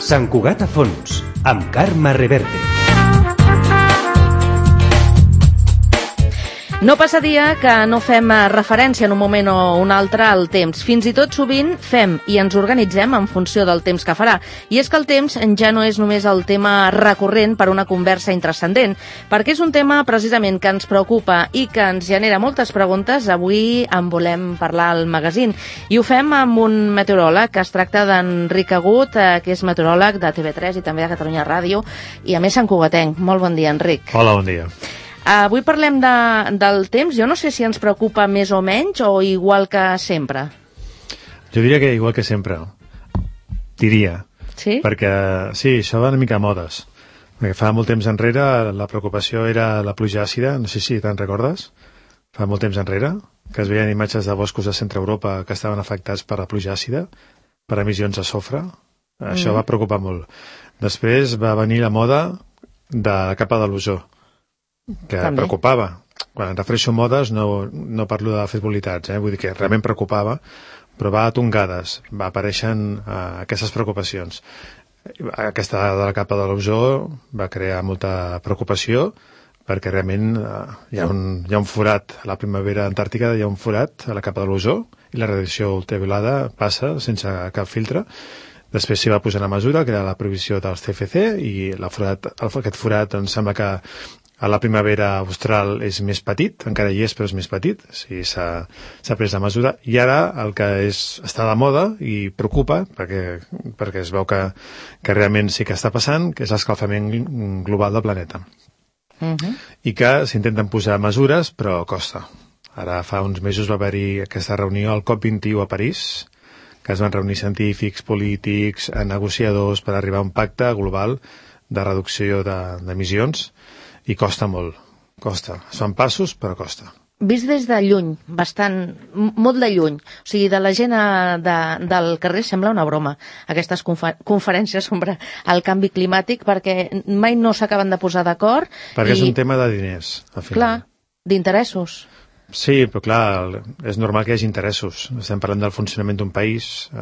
Sant Cugat a fons, amb Carme Reverte. No passa dia que no fem referència en un moment o un altre al temps. Fins i tot sovint fem i ens organitzem en funció del temps que farà. I és que el temps ja no és només el tema recurrent per una conversa intrascendent, perquè és un tema precisament que ens preocupa i que ens genera moltes preguntes. Avui en volem parlar al magazín. I ho fem amb un meteoròleg, que es tracta d'Enric Agut, que és meteoròleg de TV3 i també de Catalunya Ràdio, i a més santcugatenc. Molt bon dia, Enric. Hola, bon dia. Avui parlem del temps. Jo no sé si ens preocupa més o menys o igual que sempre. Jo diria que igual que sempre. Diria. Sí? Perquè, sí, això va una mica a modes. Perquè fa molt temps enrere la preocupació era la pluja àcida, no sé si te'n recordes, fa molt temps enrere, que es veien imatges de boscos de centre Europa que estaven afectats per la pluja àcida, per emissions de sofre. Això va preocupar molt. Després va venir la moda de la capa de l'ozó, que també preocupava. Quan em refereixo a modes no parlo de frivolitats, vull dir que realment preocupava, però va a tongades, va apareixent aquestes preocupacions. Aquesta de la capa de l'ozó va crear molta preocupació perquè realment hi ha un forat a la primavera antàrtica, hi ha un forat a la capa de l'ozó i la radiació ultraviolada passa sense cap filtre. Després s'hi va posar una mesura, que era la prohibició dels CFC, i aquest forat em sembla que a la primavera austral és més petit, encara hi és, però és més petit, sí, s'ha pres la mesura, i ara el que està de moda i preocupa, perquè es veu que realment sí que està passant, que és l'escalfament global del planeta. I que s'intenten posar mesures, però costa. Ara fa uns mesos va haver-hi aquesta reunió al COP21 a París, que es van reunir científics, polítics, negociadors per arribar a un pacte global de reducció d'emissions, i costa molt, costa. Es fan passos, però costa. Vist des de lluny, molt de lluny, o sigui, de la gent del carrer sembla una broma, aquestes conferències sobre el canvi climàtic, perquè mai no s'acaben de posar d'acord. Perquè és un tema de diners, al final. Clar, d'interessos. Sí, però clar, és normal que hi hagi interessos. Estem parlant del funcionament d'un país,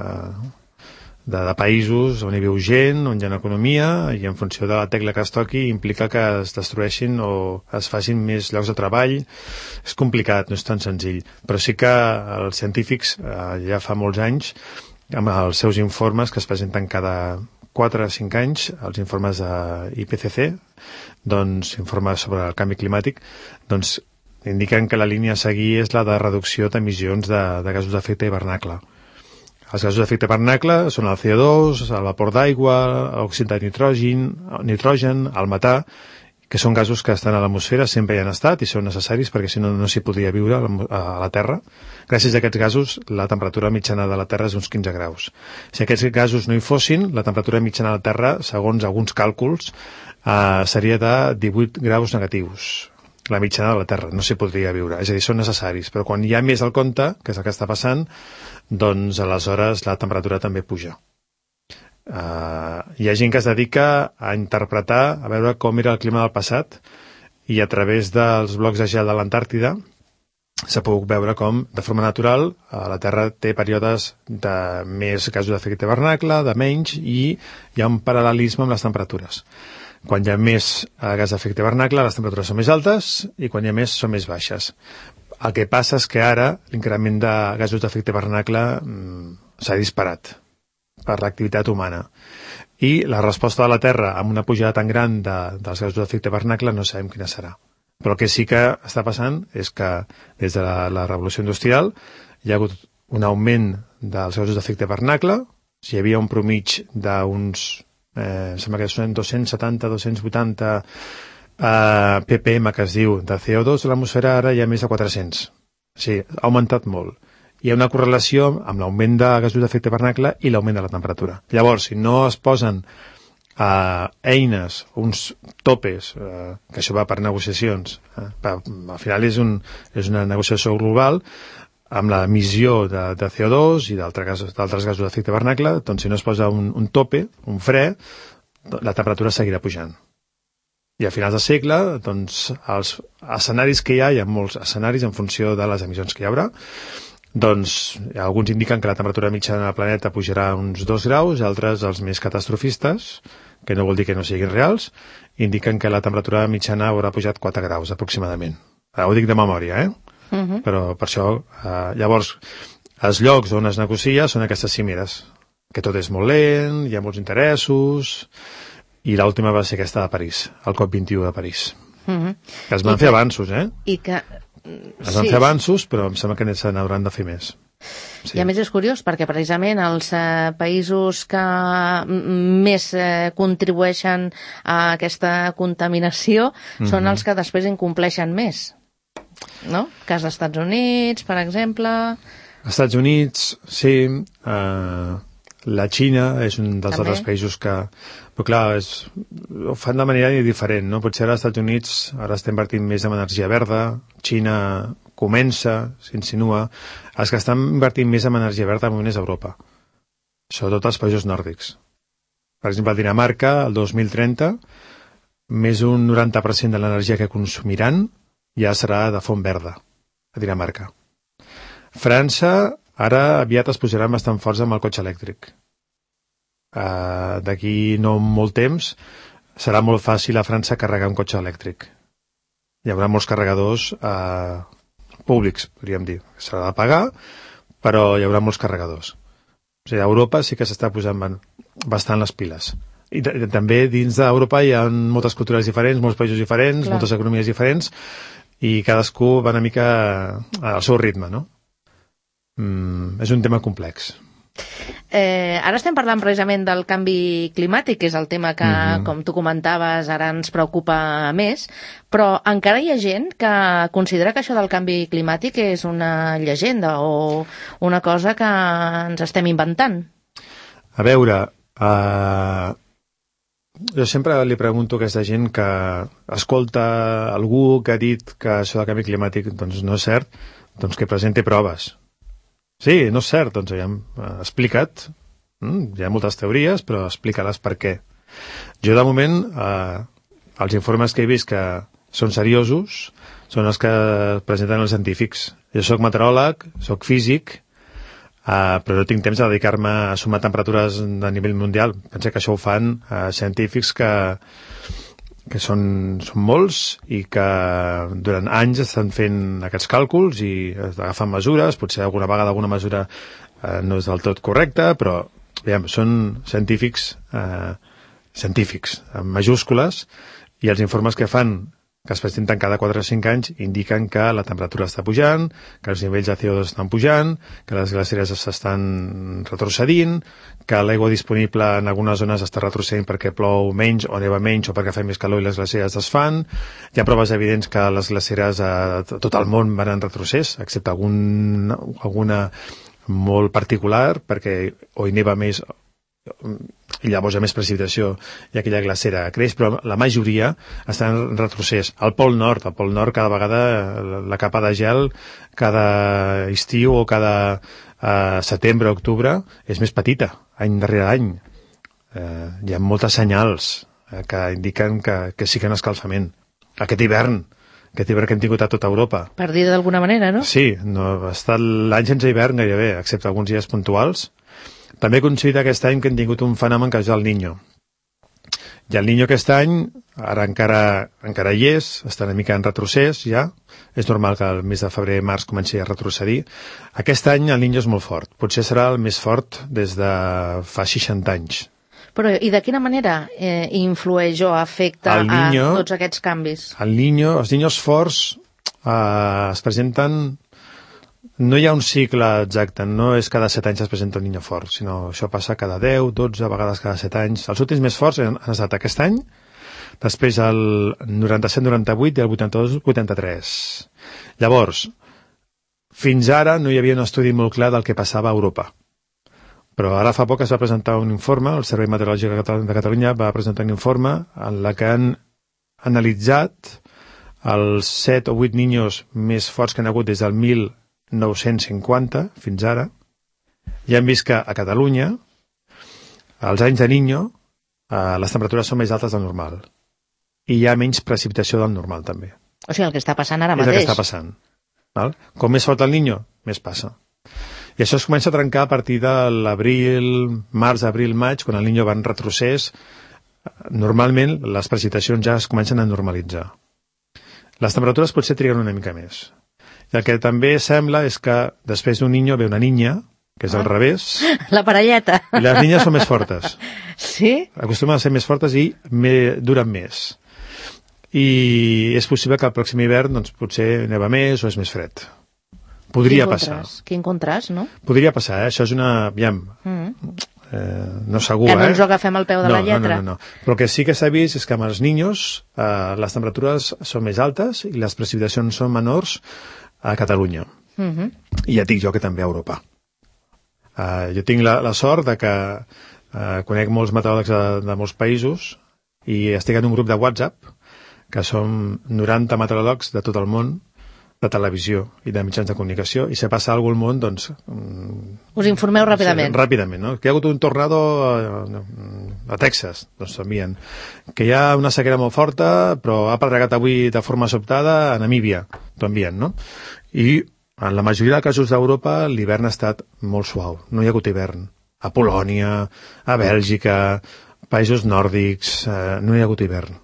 de països on hi viu gent, on hi ha economia, i en funció de la tecla que es toqui implica que es destrueixin o es facin més llocs de treball. És complicat, no és tan senzill. Però sí que els científics ja fa molts anys, amb els seus informes que es presenten cada 4 o 5 anys, els informes de IPCC, doncs informes sobre el canvi climàtic, doncs indiquen que la línia a seguir és la de reducció d'emissions de gasos d'efecte hivernacle. Els gasos d'efecte hivernacle són el CO2, el vapor d'aigua, l'òxid de nitrogen, el metà, que són gasos que estan a l'atmosfera, sempre hi han estat i són necessaris perquè si no s'hi podria viure a la Terra. Gràcies a aquests gasos, la temperatura mitjana de la Terra és d'uns 15 graus. Si aquests gasos no hi fossin, la temperatura mitjana de la Terra, segons alguns càlculs, seria de 18 graus negatius. La mitjana de la Terra, no s'hi podria viure. És a dir, són necessaris, però quan hi ha més al compte, que és el que està passant, doncs aleshores la temperatura també puja. Hi ha gent que es dedica a interpretar, a veure com era el clima del passat, i a través dels blocs de gel de l'Antàrtida s'ha pogut veure com, de forma natural, la Terra té períodes de més gasos d'efecte hivernacle, de menys, i hi ha un paral·lelisme amb les temperatures. Quan hi ha més gas d'efecte hivernacle, les temperatures són més altes, i quan hi ha més, són més baixes. El que passa és que ara l'increment de gasos d'efecte hivernacle s'ha disparat per l'activitat humana. I la resposta de la Terra amb una pujada tan gran dels gasos d'efecte hivernacle no sabem quina serà. Però el que sí que està passant és que des de la revolució industrial hi ha hagut un augment dels gasos d'efecte hivernacle. Si hi havia un promig d'uns, sembla que són 270-280 ppm, que es diu, de CO2 a l'atmosfera, ara hi ha més de 400. Sí, ha augmentat molt. Hi ha una correlació amb l'augment de gasos d'efecte hivernacle i l'augment de la temperatura. Llavors, si no es posen eines, uns topes, que això va per negociacions, al final és una negociació global amb l'emissió de CO2 i d'altres gasos d'efecte hivernacle, doncs si no es posa un tope, un fre, la temperatura seguirà pujant. I a finals de segle, doncs, els escenaris que hi ha molts escenaris en funció de les emissions que hi haurà, doncs alguns indiquen que la temperatura mitjana del planeta pujarà uns 2 graus, altres, els més catastrofistes, que no vol dir que no siguin reals, indiquen que la temperatura mitjana haurà pujat 4 graus aproximadament. Ho dic de memòria, Però per això, llavors, els llocs on es negocia són aquestes cimeres, que tot és molt lent, hi ha molts interessos, i l'última va ser aquesta de París, el COP21 de París. Que es van fer avanços, I que... Es van fer avanços, però em sembla que se n'hauran de fer més. Sí. I a més és curiós, perquè precisament els països que més contribueixen a aquesta contaminació són els que després incompleixen més. No? Cas dels Estats Units, per exemple... Estats Units, sí. La Xina és un dels altres països que... Però clar, ho fan de manera diferent, no? Potser als Estats Units ara està invertint més en energia verda, Xina comença, s'insinua. Els que estan invertint més en energia verda de moment és Europa, sobretot els països nòrdics. Per exemple, a Dinamarca, el 2030, més d'un 90% de l'energia que consumiran ja serà de font verda, a Dinamarca. França, ara aviat es posaran bastant forts amb el cotxe elèctric. D'aquí no molt temps serà molt fàcil a França carregar un cotxe elèctric. Hi haurà molts carregadors públics, podríem dir. S'ha de pagar, però hi haurà molts carregadors. O sigui, a Europa sí que s'està posant bastant les piles. I també dins d'Europa hi ha moltes cultures diferents, molts països diferents, moltes economies diferents, i cadascú va una mica al seu ritme, no? És un tema complex. Ara estem parlant precisament del canvi climàtic, que és el tema que, com tu comentaves, ara ens preocupa més, però encara hi ha gent que considera que això del canvi climàtic és una llegenda o una cosa que ens estem inventant. A veure, jo sempre li pregunto a aquesta gent que escolta algú que ha dit que això del canvi climàtic doncs no és cert, doncs que presenti proves. Sí, no és cert, doncs ja hem explicat. Hi ha moltes teories, però explica-les per què. Jo, de moment, els informes que he vist que són seriosos són els que presenten els científics. Jo soc meteoròleg, soc físic, però no tinc temps de dedicar-me a sumar temperatures de nivell mundial. Penso que això ho fan científics que són molts i que durant anys estan fent aquests càlculs i agafen mesures, potser alguna vegada alguna mesura no és del tot correcta, però aviam, són científics en majúscules, i els informes que fan, que es presenten cada 4 o 5 anys, indiquen que la temperatura està pujant, que els nivells de CO2 estan pujant, que les glaceres s'estan retrocedint, que l'aigua disponible en algunes zones està retrocedint perquè plou menys o neva menys o perquè fa més calor i les glaceres desfan. Hi ha proves evidents que les glaceres a tot el món van en retrocés, excepte alguna molt particular, perquè o hi neva més i llavors hi ha més precipitació i aquella glacera creix, però la majoria està en retrocés. Al Pol Nord cada vegada la capa de gel cada estiu o cada setembre o octubre és més petita, any darrere any. Hi ha moltes senyals que indiquen que sí que hi ha un escalfament. Aquest hivern que hem tingut a tota Europa. Per dir d'alguna manera, no? Sí, no, ha estat l'any sense hivern gairebé, excepte alguns dies puntuals. També coincide aquest any que hem tingut un fenomen que és el Niño. I el Niño aquest any, ara encara hi és, està una mica en retrocés ja, és normal que el mes de febrer-març comenci a retrocedir. Aquest any el Niño és molt fort, potser serà el més fort des de fa 60 anys. Però i de quina manera influeix o afecta a tots aquests canvis? El Niño, els Niños forts es presenten... No hi ha un cicle exacte, no és cada 7 anys es presenta un Niño fort, sinó això passa cada 10, 12, a vegades cada 7 anys. Els últims més forts han estat aquest any, després el 97-98 i el 82-83. Llavors, fins ara no hi havia un estudi molt clar del que passava a Europa. Però ara fa poc es va presentar un informe, el Servei Meteorològic de Catalunya va presentar un informe en la que han analitzat els 7 o 8 Niños més forts que han hagut des del 1950 fins ara, i hem vist que a Catalunya, als anys de Niño, les temperatures són més altes del normal. i hi ha menys precipitació del normal, també. O sigui, el que està passant ara És el mateix. que està passant. Val? Com més fort el niño, més passa. I això es comença a trencar a partir de l'abril, març, abril, maig, quan el niño va en retrocés. Normalment les precipitacions ja es comencen a normalitzar. Les temperatures potser triguen una mica més. I el que també sembla és que després d'un niño ve una niña, que és al revés, La parelleta. i les niñes són més fortes. Sí? Acostumen a ser més fortes i duren més. I és possible que el pròxim hivern doncs, potser neva més o és més fred. Podria passar. Quin contrast, no? Podria passar, Això és una... Aviam, no segur, Que no ens ho agafem al peu de la lletra. No. Però el que sí que s'ha vist és que amb els niños les temperatures són més altes i les precipitacions són menors a Catalunya. I ja et dic jo que també a Europa. Jo tinc la sort de que conec molts meteoròlegs de molts països i estic en un grup de WhatsApp que som 90 meteoròlegs de tot el món, de televisió i de mitjans de comunicació, i si passa alguna cosa al món, doncs... Us informeu ràpidament. Ràpidament, no? Que hi ha hagut un tornado a Texas, doncs t'envien. Que hi ha una sequera molt forta, però ha pedregat avui de forma sobtada a Namíbia, t'ho envien, no? I en la majoria de casos d'Europa l'hivern ha estat molt suau, no hi ha hagut hivern. A Polònia, a Bèlgica, països nòrdics, no hi ha hagut hivern.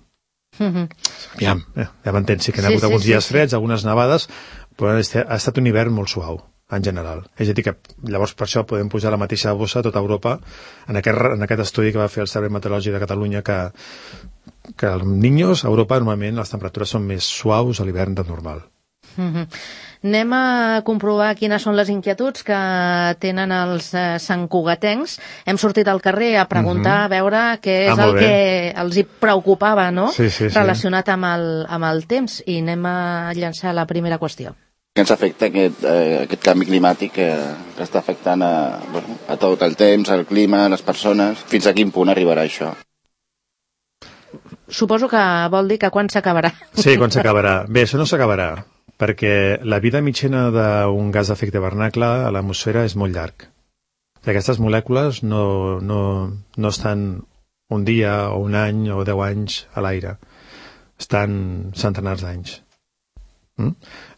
Ja m'entens, sí que hi ha hagut alguns dies freds, algunes nevades, però ha estat un hivern molt suau, en general. És a dir, que llavors per això podem posar la mateixa bossa a tota Europa en aquest estudi que va fer el Servei Meteorològic de Catalunya que els niños a Europa normalment les temperatures són més suaus a l'hivern del normal. Anem a comprovar quines són les inquietuds que tenen els santcugatencs. Hem sortit al carrer a preguntar, a veure què és el que els hi preocupava, no? Sí. Relacionat amb el temps. I anem a llançar la primera qüestió. Què ens afecta aquest canvi climàtic que està afectant a tot el temps, el clima, les persones? Fins a quin punt arribarà això? Suposo que vol dir que quan s'acabarà. Sí, quan s'acabarà. Bé, això no s'acabarà, perquè la vida mitjana d'un gas d'efecte hivernacle a l'atmosfera és molt llarg. Aquestes molècules no estan un dia o un any o 10 anys a l'aire. Estan centenars d'anys.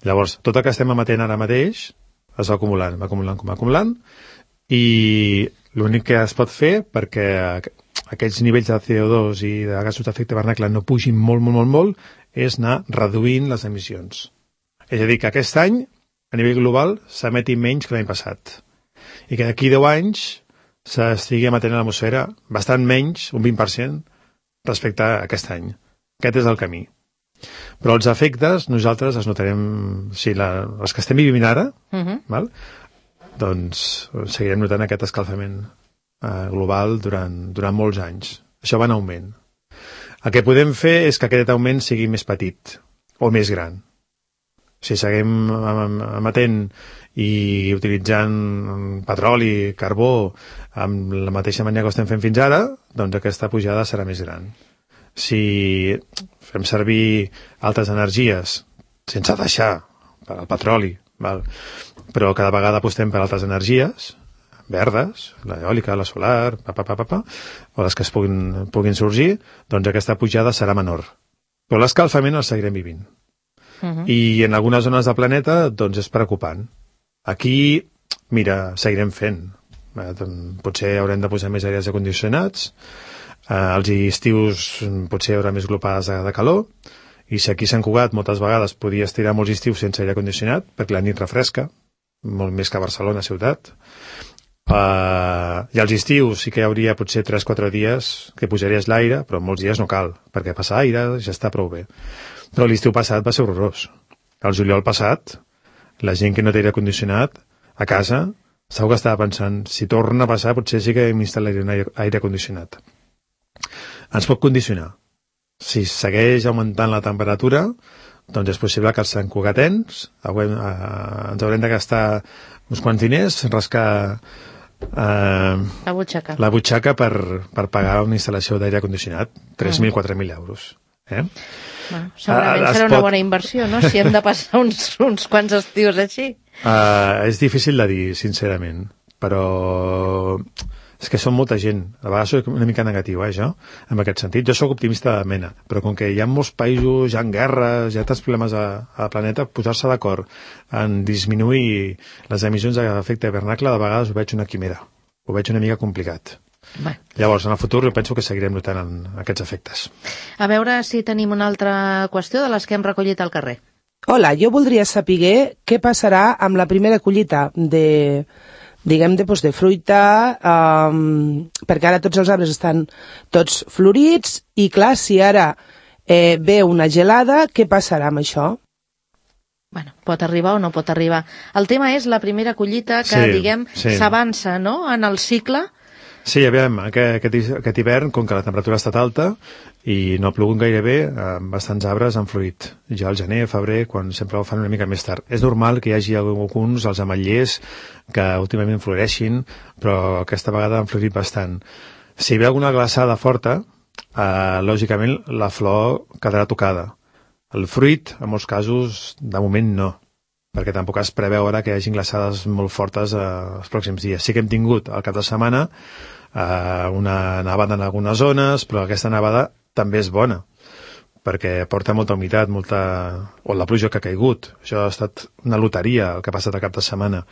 Llavors, tot el que estem emetent ara mateix es va acumulant, i l'únic que es pot fer perquè aquests nivells de CO2 i de gasos d'efecte hivernacle no pugin molt, és anar reduint les emissions. És a dir, que aquest any, a nivell global, s'emeti menys que l'any passat. I que d'aquí 10 anys s'estigui emetent a l'atmosfera bastant menys, un 20%, respecte a aquest any. Aquest és el camí. Però els efectes nosaltres els notarem, els que estem vivint ara, val? Doncs seguirem notant aquest escalfament global durant molts anys. Això va en augment. El que podem fer és que aquest augment sigui més petit o més gran. Si seguim emetent i utilitzant petroli, carbó, amb la mateixa manera que ho estem fent fins ara, doncs aquesta pujada serà més gran. Si fem servir altres energies, sense deixar per al petroli, val? Però cada vegada apostem per altres energies, verdes, l'eòlica, la solar, o les que es puguin sorgir, doncs aquesta pujada serà menor. Però l'escalfament el seguirem vivint. I en algunes zones del planeta doncs és preocupant. Aquí, mira, seguirem fent. Potser haurem de posar més aires acondicionats, als estius potser hi haurà més glopades de calor, i si aquí a Sant Cugat moltes vegades podia estirar molts estius sense aire condicionat, perquè la nit refresca, molt més que a Barcelona ciutat, i als estius sí que hi hauria potser 3-4 dies que pujaries l'aire, però molts dies no cal, perquè passa aire, ja està prou bé. Però l'estiu passat va ser horrorós. El juliol passat, la gent que no té aire condicionat a casa, segur que estava pensant, si torna a passar potser sí que m'instal·laré un aire condicionat. Ens pot condicionar. Si segueix augmentant la temperatura, doncs és possible que els santcugatens ens haurem de gastar uns quants diners, rascar la butxaca per pagar una instal·lació d'aire condicionat, 3.000, 4.000 euros. Bueno, segurament serà una bona inversió, no?, si hem de passar uns quants estius així. És difícil de dir, sincerament, però És que són molta gent. A vegades soc una mica negatiu, jo, en aquest sentit. Jo sóc optimista de mena, però com que hi ha molts països, hi ha guerres, hi ha tants problemes al planeta, posar-se d'acord en disminuir les emissions d'efecte hivernacle, de vegades ho veig una quimera. Ho veig una mica complicat. Bé. Llavors, en el futur, jo penso que seguirem notant en aquests efectes. A veure si tenim una altra qüestió de les que hem recollit al carrer. Hola, jo voldria saber què passarà amb la primera collita de fruita, perquè ara tots els arbres estan tots florits, i clar, si ara ve una gelada, què passarà amb això? Bueno, pot arribar o no pot arribar. El tema és la primera collita que, s'avança, no?, en el cicle. Sí, aviam, aquest hivern, com que la temperatura ha estat alta i no ha plogut gairebé, bastants arbres han florit. Ja al gener, febrer, quan sempre ho fan una mica més tard. És normal que hi hagi alguns, els ametllers, que últimament floreixin, però aquesta vegada han florit bastant. Si hi ha alguna glaçada forta, lògicament la flor quedarà tocada. El fruit, en molts casos, de moment no, perquè tampoc es preveu ara que hi hagi glaçades molt fortes els pròxims dies. Sí que hem tingut al cap de setmana una nevada en algunes zones, però aquesta nevada també és bona, perquè porta molta humitat, o la pluja que ha caigut. Això ha estat una loteria, el que ha passat al cap de setmana.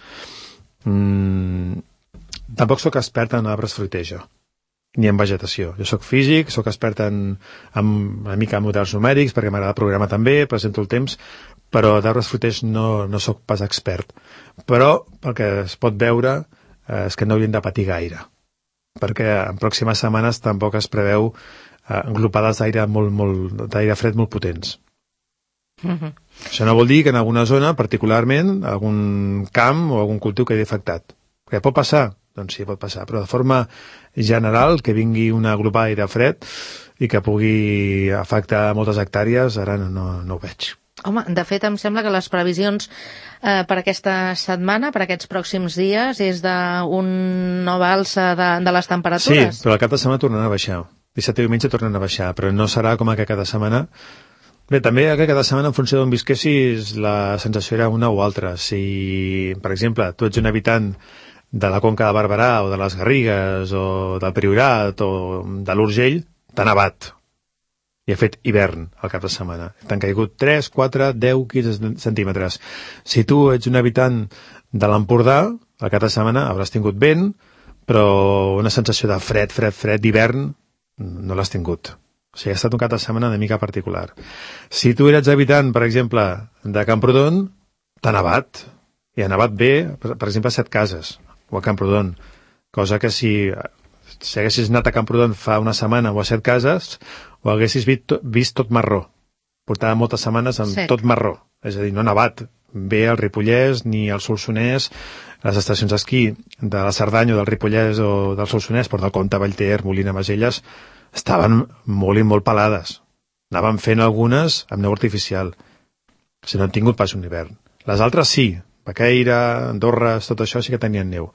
Tampoc sóc expert en arbres fruiters, jo, ni en vegetació. Jo sóc físic, sóc expert en una mica en models numèrics, perquè m'agrada programar també, presento el temps, però d'arbres fruiters no sóc pas expert. Però el que es pot veure és que no haurien de patir gaire, perquè en pròximes setmanes tampoc es preveu englopades d'aire fred molt potents. Això no vol dir que en alguna zona, particularment, algun camp o algun cultiu quedi afectat. Què pot passar? Doncs sí, pot passar, però de forma general, que vingui una aglopada d'aire fred i que pugui afectar moltes hectàrees, ara no ho veig. Home, de fet, em sembla que les previsions per aquesta setmana, per aquests pròxims dies, és d'una nova alça de les temperatures. Sí, però al cap de setmana tornaran a baixar. Dissabte i diumenge tornen a baixar, però no serà com que cada setmana. Bé, també cada setmana, en funció d'on visquessis, la sensació era una o altra. Si, per exemple, tu ets un habitant de la Conca de Barberà o de les Garrigues o del Priorat o de l'Urgell, t'ha nevat i ha fet hivern al cap de setmana. T'han caigut 3, 4, 10, 15 centímetres. Si tu ets un habitant de l'Empordà, al cap de setmana hauràs tingut vent, però una sensació de fred d'hivern no l'has tingut. O sigui, ha estat un cap de setmana una mica particular. Si tu eres habitant, per exemple, de Camprodon, t'ha nevat. I ha nevat bé, per exemple, a Setcases o a Camprodon, cosa que si haguessis anat a Camprodon fa una setmana o a Setcases, ho haguessis vist tot marró. Portava moltes setmanes amb tot marró, és a dir, no ha nevat bé al Ripollès ni al Solsonès, les estacions d'esquí de la Cerdanya o del Ripollès o del Solsonès, Port del Comte, Vallter, Molina, Maselles, estaven molt i molt pelades. Anaven fent algunes amb neu artificial. Si no han tingut pas un hivern. Les altres sí, Baqueira, Andorra, tot això sí que tenien neu.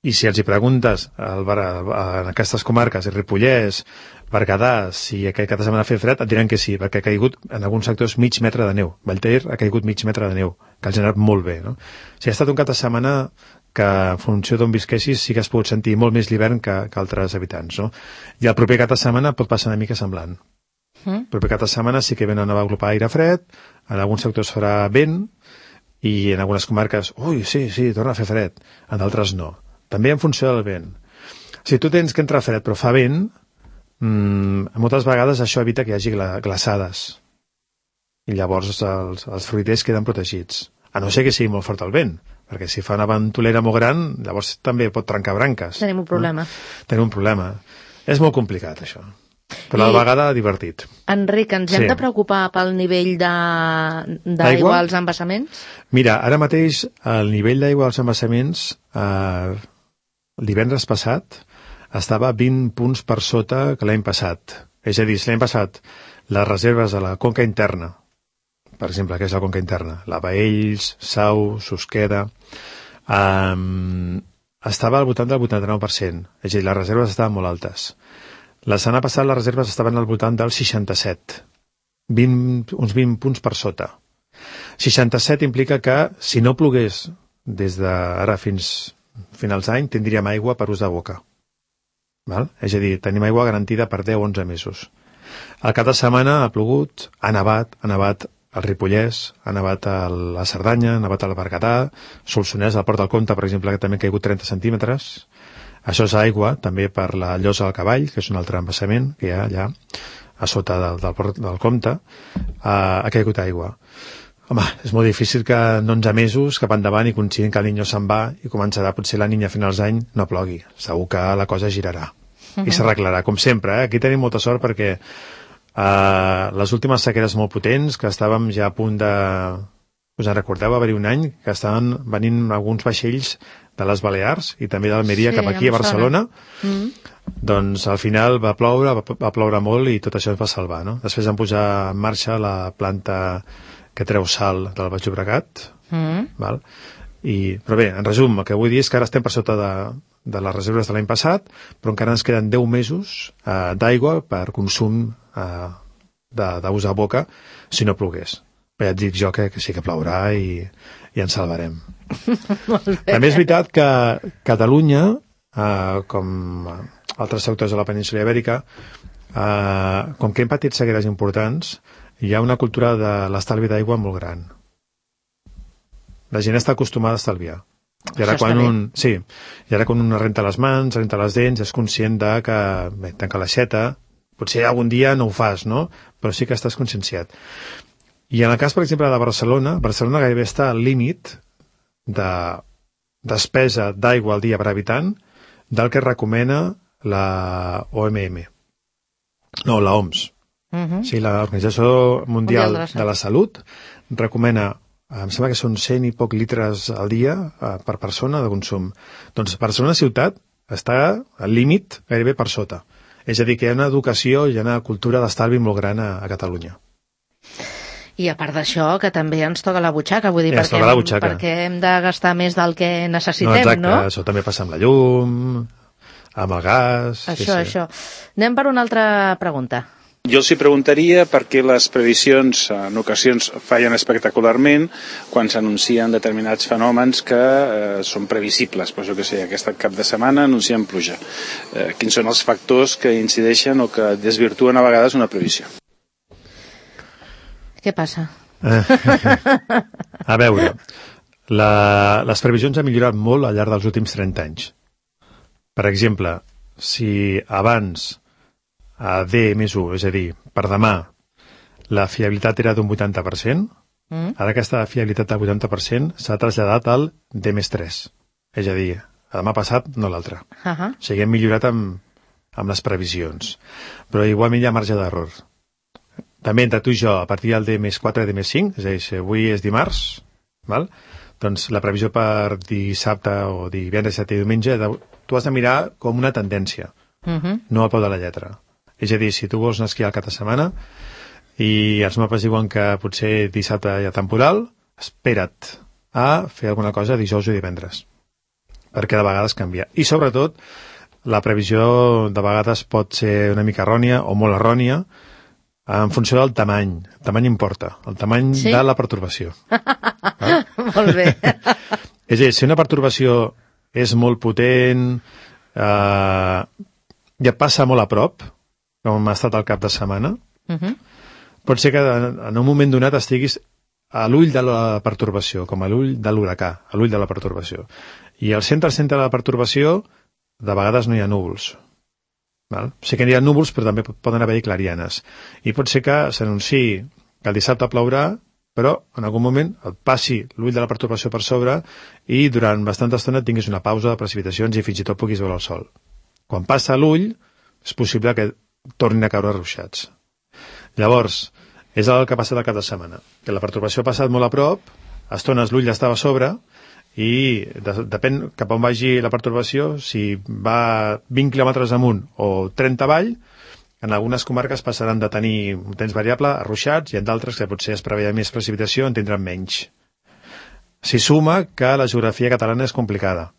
I si els hi preguntes en aquestes comarques, el Ripollès, Berguedà, si aquest cap de setmana ha fet fred, et diran que sí, perquè ha caigut en alguns sectors mig metre de neu. Vallter ha caigut mig metre de neu, que ha generat molt bé, no? O sigui, ha estat un cap de setmana que, en funció d'on visquessis, sí que has pogut sentir molt més l'hivern que altres habitants, no? I el proper cap de setmana pot passar una mica semblant. El proper cap de setmana sí que ve una nova aglopada d'aire fred, en alguns sectors farà vent, i en algunes comarques, sí, torna a fer fred, en d'altres no. També en funció del vent. Si tu tens que entrar fred però fa vent, moltes vegades això evita que hi hagi glaçades. I llavors els fruiters queden protegits. A no ser que sigui molt fort el vent, perquè si fa una ventolera molt gran, llavors també pot trencar branques. Tenim un problema. Tenim un problema. És molt complicat, això. Però a la vegada divertit. Enric, ens hem de preocupar pel nivell d'aigua als embassaments? Mira, ara mateix el nivell d'aigua als embassaments divendres passat estava 20 punts per sota que l'any passat. És a dir, si l'any passat les reserves a la conca interna, per exemple, que és la conca interna, la Baells, Sau, Susqueda, estava al voltant del 89%. És a dir, les reserves estaven molt altes. La setmana passada les reserves estaven al voltant del 67, uns 20 punts per sota. 67 implica que si no plogués des d'ara fins finals d'any tindríem aigua per ús de boca. Val? És a dir, tenim aigua garantida per 10 o 11 mesos. Al cap de setmana ha plogut, ha nevat al Ripollès, ha nevat a la Cerdanya, ha nevat al Berguedà, Solsonès, al Port del Comte, per exemple, que també ha caigut 30 centímetres. Això és aigua, també per la Llosa del Cavall, que és un altre embassament que hi ha allà, a sota del Port del Comte, ha caigut aigua. Home, és molt difícil que en 11 mesos cap endavant i coincidint que el Niño se'n va i començarà potser la Niña a finals d'any, no plogui. Segur que la cosa girarà i s'arreglarà, com sempre. Aquí tenim molta sort perquè les últimes sequeres molt potents, que estàvem ja a punt de... Us en recordeu, va haver-hi un any que estaven venint alguns vaixells de les Balears i també d'Almeria cap aquí a Barcelona. Doncs al final va ploure molt i tot això es va salvar, no? Després van posar en marxa la planta que treu sal del Baix Llobregat, val? Però bé, en resum, el que vull dir és que ara estem per sota de les reserves de l'any passat, però encara ens queden 10 mesos d'aigua per consum d'ús a boca si no plogués. Però ja et dic jo que sí que plourà i ens salvarem. També és veritat que Catalunya, com altres sectors de la península Ibèrica, com que hem patit sequeres importants, hi ha una cultura de l'estalvi d'aigua molt gran. La gent està acostumada a estalviar. I ara quan un renta les mans, renta les dents, és conscient de que tanca l'aixeta, potser algun dia no ho fas, no? Però sí que estàs conscienciat. I en el cas, per exemple, de Barcelona gairebé està al límit de despesa d'aigua al dia per habitant del que recomana la OMM. No, la OMS. Sí, l'Organització Mundial de la Salut recomana, em sembla que són 100 i poc litres al dia per persona de consum. Doncs Barcelona ciutat està al límit gairebé per sota. És a dir, que hi ha una educació i una cultura d'estalvi molt gran a Catalunya. I a part d'això, que també ens toca la butxaca, vull dir, perquè hem de gastar més del que necessitem, no? Exacte, això també passa amb la llum, amb el gas... Això. Anem per una altra pregunta. Jo els preguntaria per què les previsions en ocasions fallen espectacularment quan s'anuncien determinats fenòmens que són previsibles. Però jo que sé, aquest cap de setmana anuncien pluja. Quins són els factors que incideixen o que desvirtuen a vegades una previsió? Què passa? A veure, les previsions han millorat molt al llarg dels últims 30 anys. Per exemple, si abans a D+1, és a dir, per demà, la fiabilitat era d'un 80%, ara aquesta fiabilitat del 80% s'ha traslladat al D+3. És a dir, a demà passat, no l'altre. O sigui, hem millorat amb les previsions. Però igualment hi ha marge d'error. També entre tu i jo, a partir del D+4 i D+5, és a dir, si avui és dimarts, val? Doncs la previsió per dissabte o divendres, dissabte i diumenge, tu has de mirar com una tendència, no al peu de la lletra. És a dir, si tu vols anar a esquiar al cap de setmana i els mapes diuen que potser dissabte hi ha temporal, espera't a fer alguna cosa dijous o divendres, perquè de vegades canvia. I sobretot, la previsió de vegades pot ser una mica errònia o molt errònia en funció del tamany. El tamany importa, el tamany de la pertorbació. Molt bé. És a dir, si una pertorbació és molt potent, ja passa molt a prop, com ha estat al cap de setmana, pot ser que en un moment donat estiguis a l'ull de la pertorbació, com a l'ull de l'huracà, a l'ull de la pertorbació. I al centre de la pertorbació, de vegades no hi ha núvols. Val? Sí que hi ha núvols, però també poden haver-hi clarianes. I pot ser que s'anunciï que el dissabte plourà, però en algun moment et passi l'ull de la pertorbació per sobre i durant bastanta estona tinguis una pausa de precipitacions i fins i tot puguis veure el sol. Quan passa l'ull, és possible que tornin a caure ruixats. Llavors, és el que ha passat al cap de setmana, que la pertorbació ha passat molt a prop, a estones l'ull estava a sobre, i depèn cap on vagi la pertorbació, si va 20 quilòmetres amunt o 30 avall, en algunes comarques passaran de tenir un temps variable a ruixats i en d'altres que potser es preveia més precipitació en tindran menys. S'hi suma que la geografia catalana és complicada.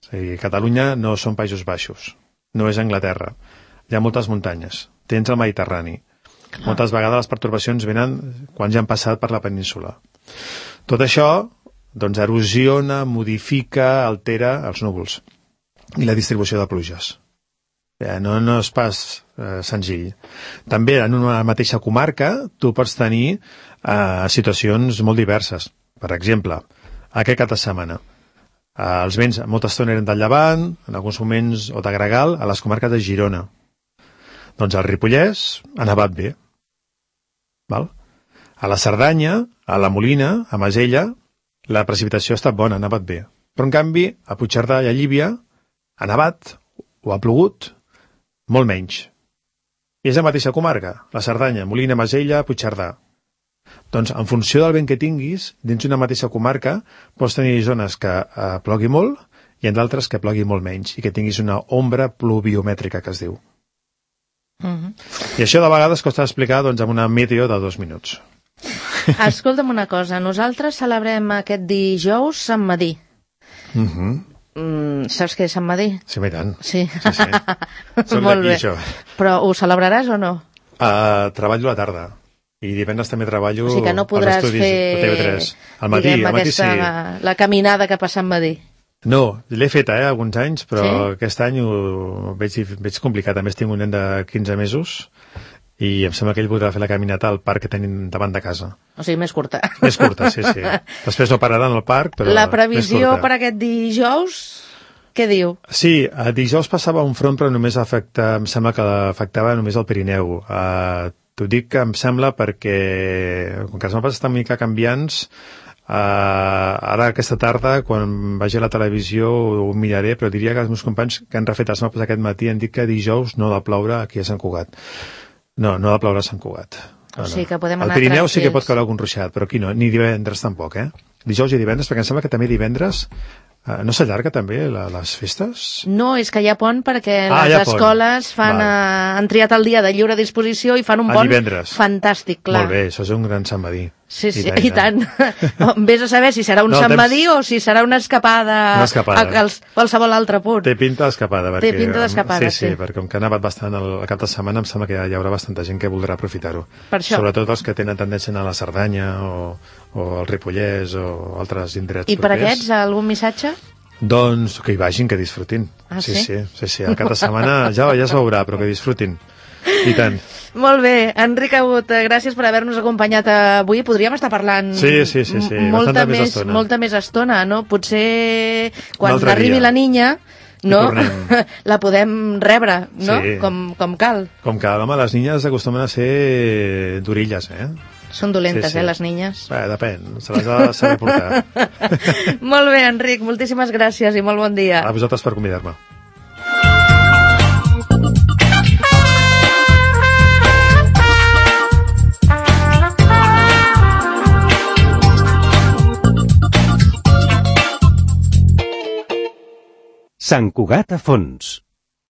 O sigui, Catalunya no són Països Baixos, no és Anglaterra. Hi ha moltes muntanyes, tens el Mediterrani. Moltes vegades les pertorbacions venen quan ja han passat per la península. Tot això doncs erosiona, modifica, altera els núvols i la distribució de pluges. No és pas senzill. També en una mateixa comarca tu pots tenir situacions molt diverses. Per exemple, aquest cap de setmana els vents molta estona eren del llevant, en alguns moments o de gregal, a les comarques de Girona. Doncs al Ripollès ha nevat bé. Val? A la Cerdanya, a la Molina, a Masella, la precipitació ha estat bona, ha nevat bé. Però, en canvi, a Puigcerdà i a Llívia ha nevat o ha plogut molt menys. I és la mateixa comarca, la Cerdanya, Molina, Masella, Puigcerdà. Doncs, en funció del vent que tinguis, dins d'una mateixa comarca, pots tenir zones que plogui molt i en d'altres que plogui molt menys i que tinguis una ombra pluviomètrica, que es diu. I això de vegades costa explicar amb una meteo de 2 minuts. Escolta'm una cosa, nosaltres celebrem aquest dijous Sant Madí. Saps què és Sant Madí? Sí, i tant. Sí. Soc Molt d'aquí, bé. això. Però ho celebraràs o no? Treballo a la tarda. I divendres també treballo O sigui que no als podràs estudis de TV3. Al matí, diguem, al matí sí. la caminada cap a Sant Madí. No, l'he feta, alguns anys, però Sí? aquest any ho veig complicat. A més, tinc un nen de 15 mesos i em sembla que ell voldrà fer la caminata al parc que tenim davant de casa. O sigui, més curta. Més curta, sí. Després no pararan al parc, però La més previsió curta. per aquest dijous, què diu? Sí, dijous passava un front, però només em sembla que afectava només el Pirineu. T'ho dic que em sembla perquè, com que els mapes estan una mica canviants, ara aquesta tarda, quan vagi a la televisió, ho miraré, però diria que els meus companys que han refet els mapes aquest matí han dit que dijous no ha de ploure aquí a Sant Cugat. No ha de ploure a Sant Cugat. O sigui que podem Al anar Pirineu sí que tranquils. pot caure algun ruixat, però aquí no, ni divendres tampoc, Dijous i divendres, perquè em sembla que també divendres no s'allarga també les festes? No, és que hi ha pont perquè Ah, hi les ha pont. escoles han triat el dia de lliure disposició i fan un pont divendres. fantàstic, clar. Molt bé, això és un gran Sant Madí. Sí, i tant. Vés a saber si serà un Sant Madí o si serà una escapada, Una escapada. a qualsevol altre punt. Té pinta d'escapada. Té pinta d'escapada, sí. sí. Perquè com que ha nevat bastant el cap de setmana, em sembla que hi haurà bastanta gent que voldrà aprofitar-ho. Per això. Sobretot els que tenen tendència a anar a la Cerdanya o al Ripollès o altres indrets I per propers. aquests, algun missatge? Doncs que hi vagin, que disfrutin. Ah, sí? Sí. El cap de setmana ja es veurà, però que disfrutin. I tant. Molt bé, Enric Agut, gràcies per haver-nos acompanyat avui. Podríem estar parlant Sí. molta més estona, no? Potser Un quan altre arribi dia. la niña, no? tornem. La podem rebre, no? Sí. Com cal. Com que, home, les niñes acostumen a ser d'orilles, Són dolentes, Sí. les niñes. Bé, depèn, se les ha de saber portar. Molt bé, Enric, moltíssimes gràcies i molt bon dia. A vosaltres per convidar-me. Sant Cugat a fons.